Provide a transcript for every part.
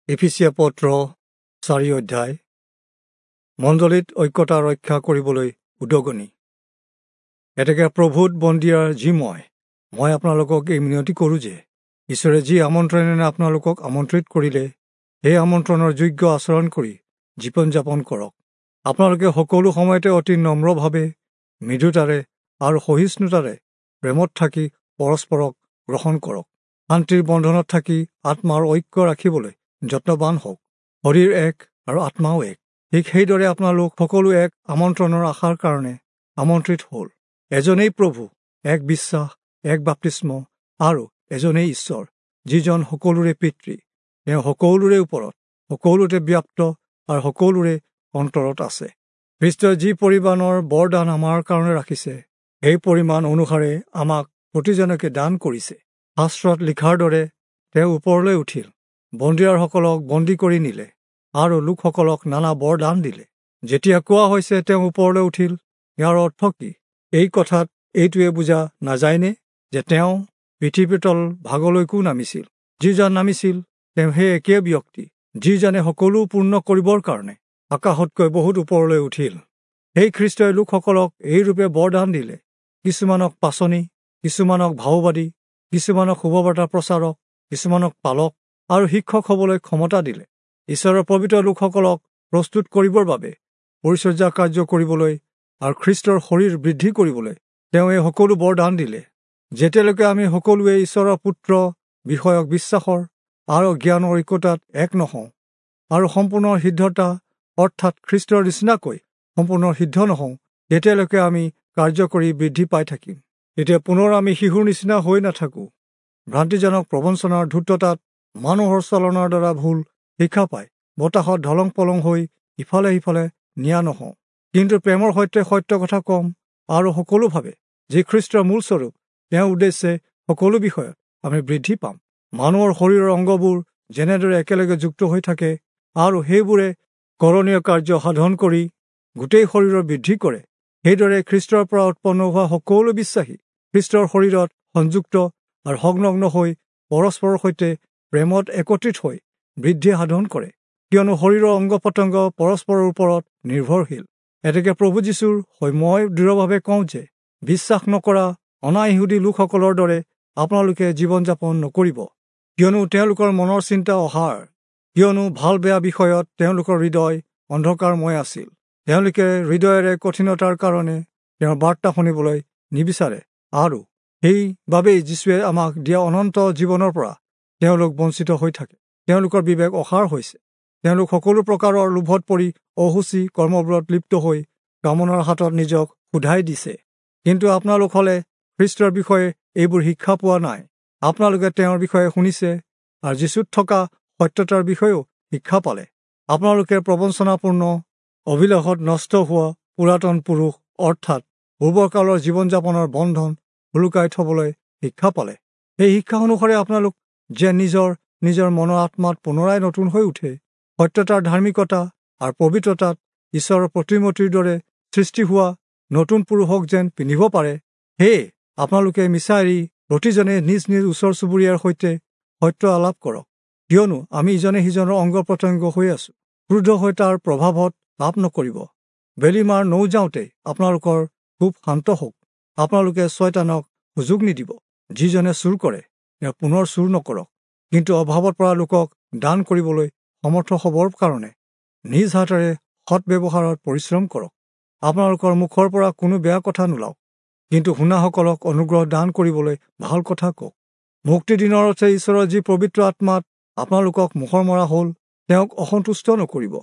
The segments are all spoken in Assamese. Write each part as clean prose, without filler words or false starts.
এফিচীয়া পত্ৰ 4 অধ্যায়। মণ্ডলীত ঐক্যতা ৰক্ষা কৰিবলৈ উদগনি। এতেকে প্ৰভুত বন্দীয়াৰ যি মই আপোনালোকক এই মিনতি কৰোঁ যে ঈশ্বৰে যি আমন্ত্ৰণেৰে আপোনালোকক আমন্ত্ৰিত কৰিলে, সেই আমন্ত্ৰণৰ যোগ্য আচৰণ কৰি জীৱন যাপন কৰক। আপোনালোকে সকলো সময়তে অতি নম্ৰভাৱে, মৃদুতাৰে আৰু সহিষ্ণুতাৰে প্ৰেমত থাকি পৰস্পৰক গ্ৰহণ কৰক। শান্তিৰ বন্ধনত থাকি আত্মাৰ ঐক্য ৰাখিবলৈ যত্নবান হওক। শৰীৰ এক আৰু আত্মাও এক। ঠিক সেইদৰে আপোনালোক সকলো এক আমন্ত্ৰণৰ আশাৰ কাৰণে আমন্ত্ৰিত হ'ল। এজনেই প্ৰভু, এক বিশ্বাস, এক বাপ্তিস্ম আৰু এজনেই ঈশ্বৰ, যিজন সকলোৰে পিতৃ। তেওঁ সকলোৰে ওপৰত, সকলোতে ব্যাপ্ত আৰু সকলোৰে অন্তৰত আছে। খ্ৰীষ্টই যি পৰিমাণৰ বৰদান আমাৰ কাৰণে ৰাখিছে, সেই পৰিমাণ অনুসাৰে আমাক প্ৰতিজনকে দান কৰিছে। শাস্ত্ৰত লিখাৰ দৰে তেওঁ ওপৰলৈ উঠিল, বন্দীয়াৰসকলক বন্দী কৰি নিলে আৰু লোকসকলক নানা বৰদান দিলে। যেতিয়া কোৱা হৈছে তেওঁ ওপৰলৈ উঠিল, ইয়াৰ অৰ্থ কি? এই কথাত এইটোৱে বুজা নাযায়নে যে তেওঁ পৃথিৱীৰ তল ভাগলৈকো নামিছিল? যিজন নামিছিল তেওঁ সেই একে ব্যক্তি, যিজনে সকলো পূৰ্ণ কৰিবৰ কাৰণে আকাশতকৈ বহুত ওপৰলৈ উঠিল। সেই খ্ৰীষ্টই লোকসকলক এইৰূপে বৰদান দিলে, কিছুমানক পাচনি, কিছুমানক ভাওবাদী, কিছুমানক শুভবাৰ্তা প্ৰচাৰক, কিছুমানক পালক আৰু শিক্ষক হ'বলৈ ক্ষমতা দিলে। ঈশ্বৰৰ পবিত্ৰ লোকসকলক প্ৰস্তুত কৰিবৰ বাবে, পৰিচৰ্যা কাৰ্য কৰিবলৈ আৰু খ্ৰীষ্টৰ শৰীৰ বৃদ্ধি কৰিবলৈ তেওঁ এই সকলো বৰদান দিলে। যেতিয়ালৈকে আমি সকলোৱে ঈশ্বৰৰ পুত্ৰ বিষয়ক বিশ্বাসৰ আৰু জ্ঞানৰ ঐক্যতাত এক নহওঁ আৰু সম্পূৰ্ণ সিদ্ধতা অৰ্থাৎ খ্ৰীষ্টৰ নিচিনাকৈ সম্পূৰ্ণ সিদ্ধ নহওঁ, তেতিয়ালৈকে আমি কাৰ্য কৰি বৃদ্ধি পাই থাকিম। তেতিয়া পুনৰ আমি শিশুৰ নিচিনা হৈ নাথাকোঁ। ভ্ৰান্তিজনক প্ৰবঞ্চনাৰ ধূৰ্ততাত মানুহৰ চলনাৰ দ্বাৰা ভুল শিক্ষা পাই বতাহত ঢলং পলং হৈ ইফালে সিফালে নিয়া নহওঁ, কিন্তু প্ৰেমৰ সৈতে সত্য কথা ক'ম আৰু সকলোভাৱে যি খ্ৰীষ্টৰ মূল স্বৰূপ, তেওঁৰ উদ্দেশ্যে সকলো বিষয়ত আমি বৃদ্ধি পাম। মানুহৰ শৰীৰৰ অংগবোৰ যেনেদৰে একেলগে যুক্ত হৈ থাকে আৰু সেইবোৰে কৰণীয় কাৰ্য সাধন কৰি গোটেই শৰীৰৰ বৃদ্ধি কৰে, সেইদৰে খ্ৰীষ্টৰ পৰা উৎপন্ন হোৱা সকলো বিশ্বাসী খ্ৰীষ্টৰ শৰীৰত সংযুক্ত আৰু সংলগ্ন হৈ পৰস্পৰৰ সৈতে প্ৰেমত একত্ৰিত হৈ বৃদ্ধি সাধন কৰে। কিয়নো শৰীৰৰ অংগ প্ৰত্যংগ পৰস্পৰৰ ওপৰত নিৰ্ভৰশীল। এতেকে প্ৰভু যীশুৰ হৈ মই দৃঢ়ভাৱে কওঁ যে বিশ্বাস নকৰা অনাইহুদী লোকসকলৰ দৰে আপোনালোকে জীৱন যাপন নকৰিব। কিয়নো তেওঁলোকৰ মনৰ চিন্তা অসাৰ, কিয়নো ভাল বেয়া বিষয়ত তেওঁলোকৰ হৃদয় অন্ধকাৰময় আছিল। তেওঁলোকে হৃদয়েৰে কঠিনতাৰ কাৰণে তেওঁৰ বাৰ্তা শুনিবলৈ নিবিচাৰে আৰু সেইবাবেই যীশুৱে আমাক দিয়া অনন্ত জীৱনৰ পৰা তেওঁলোক বঞ্চিত হৈ থাকে। তেওঁলোকৰ বিবেক অসাৰ হৈছে। তেওঁলোক সকলো প্ৰকাৰৰ লোভত পৰি অসুচী কৰ্মবোৰত লিপ্ত হৈ কামনাৰ হাতত নিজক সোধাই দিছে। কিন্তু আপোনালোক হ'লে খ্ৰীষ্টৰ বিষয়ে এইবোৰ শিক্ষা পোৱা নাই। আপোনালোকে তেওঁৰ বিষয়ে শুনিছে আৰু যীশুত থকা সত্যতাৰ বিষয়েও শিক্ষা পালে। আপোনালোকে প্ৰবঞ্চনাপূৰ্ণ অভিলাষত নষ্ট হোৱা পুৰাতন পুৰুষ অৰ্থাৎ পূৰ্বকালৰ জীৱন যাপনৰ বন্ধন সোলোকাই থবলৈ শিক্ষা পালে। এই শিক্ষা অনুসৰি আপোনালোক যে নিজৰ নিজৰ মনৰ আত্মাত পুনৰাই নতুন হৈ উঠে, সত্যতাৰ ধাৰ্মিকতা আৰু পবিত্ৰতাত ঈশ্বৰৰ প্ৰতিমূৰ্তিৰ দৰে সৃষ্টি হোৱা নতুন পুৰুষক যেন পিন্ধিব পাৰে, সেয়ে আপোনালোকে মিছা এৰি প্ৰতিজনে নিজ নিজ ওচৰ চুবুৰীয়াৰ সৈতে সত্য আলাপ কৰক। কিয়নো আমি ইজনে সিজনৰ অংগ প্ৰত্যংগ হৈ আছোঁ। ক্ৰোধ হৈ তাৰ প্ৰভাৱত লাভ নকৰিব। বেলি মাৰ নৌ যাওঁতে আপোনালোকৰ খুব শান্ত হওক। আপোনালোকে ছয়তানক সুযোগ নিদিব। যিজনে চুৰ কৰে তেওঁ পুনৰ চুৰ নকৰক, কিন্তু অভাৱত পৰা লোকক দান কৰিবলৈ সমৰ্থ হ'বৰ কাৰণে নিজ হাতেৰে সৎ ব্যৱহাৰত পৰিশ্ৰম কৰক। আপোনালোকৰ মুখৰ পৰা কোনো বেয়া কথা নোলাওক, কিন্তু শুনাসকলক অনুগ্ৰহ দান কৰিবলৈ ভাল কথা কওক। মুক্তি দিনৰ অৰ্থে ঈশ্বৰৰ যি পবিত্ৰ আত্মাত আপোনালোকক মোহৰ মৰা হ'ল, তেওঁক অসন্তুষ্ট নকৰিব।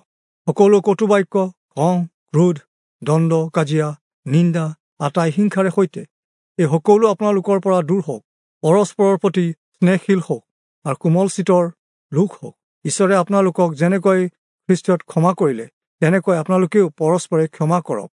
সকলো কটুবাক্য, খং, ক্ৰোধ, দণ্ড, কাজিয়া, নিন্দা, আটাই হিংসাৰে সৈতে এই সকলো আপোনালোকৰ পৰা দূৰ হওক। পৰস্পৰৰ প্ৰতি স্নেহশীল হওক আৰু কোমল চিতৰ লোক হওক। ঈশ্বৰে আপোনালোকক যেনেকৈ খ্ৰীষ্টত ক্ষমা কৰিলে, তেনেকৈ আপোনালোকেও পৰস্পৰে ক্ষমা কৰক।